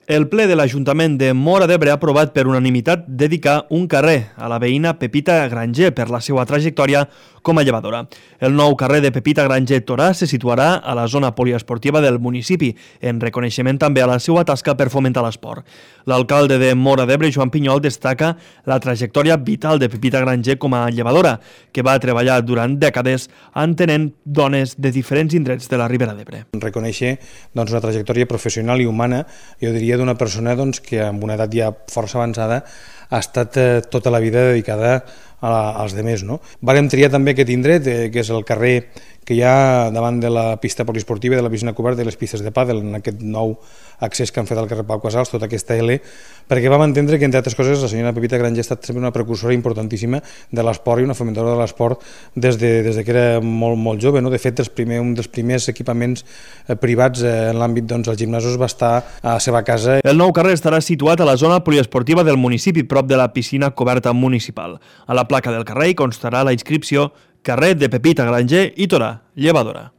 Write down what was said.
El ple de l'Ajuntament de Móra d'Ebre ha aprovat per unanimitat dedicar un carrer a la veïna Pepita Granger per la seva trajectòria com a llevadora. El nou carrer de Pepita Granger Torà se situarà a la zona poliesportiva del municipi, en reconeixement també a la seva tasca per fomentar l'esport. L'alcalde de Móra d'Ebre, Joan Pinyol, destaca la trajectòria vital de Pepita Granger com a llevadora, que va treballar durant dècades entenent dones de diferents indrets de la Ribera d'Ebre. Reconèixer una trajectòria professional i humana, jo diria, d'una persona que amb una edat ja força avançada ha estat tota la vida dedicada als demés. Vàrem triar també aquest indret, que és el carrer que hi ha davant de la pista poliesportiva, de la piscina coberta i les pistes de pàdel, en aquest nou accés que han fet al carrer Pau Casals, tota aquesta L, perquè vam entendre que, entre altres coses, la senyora Pepita Granger ha estat sempre una precursora importantíssima de l'esport i una fomentadora de l'esport des que era molt jove. De fet, un dels primers equipaments privats en l'àmbit dels gimnasos va estar a la seva casa. El nou carrer estarà situat a la zona poliesportiva del municipi, prop de la piscina coberta municipal. A la placa del carrer hi constarà la inscripció Carrer de Pepita Granger i Torà, llevadora.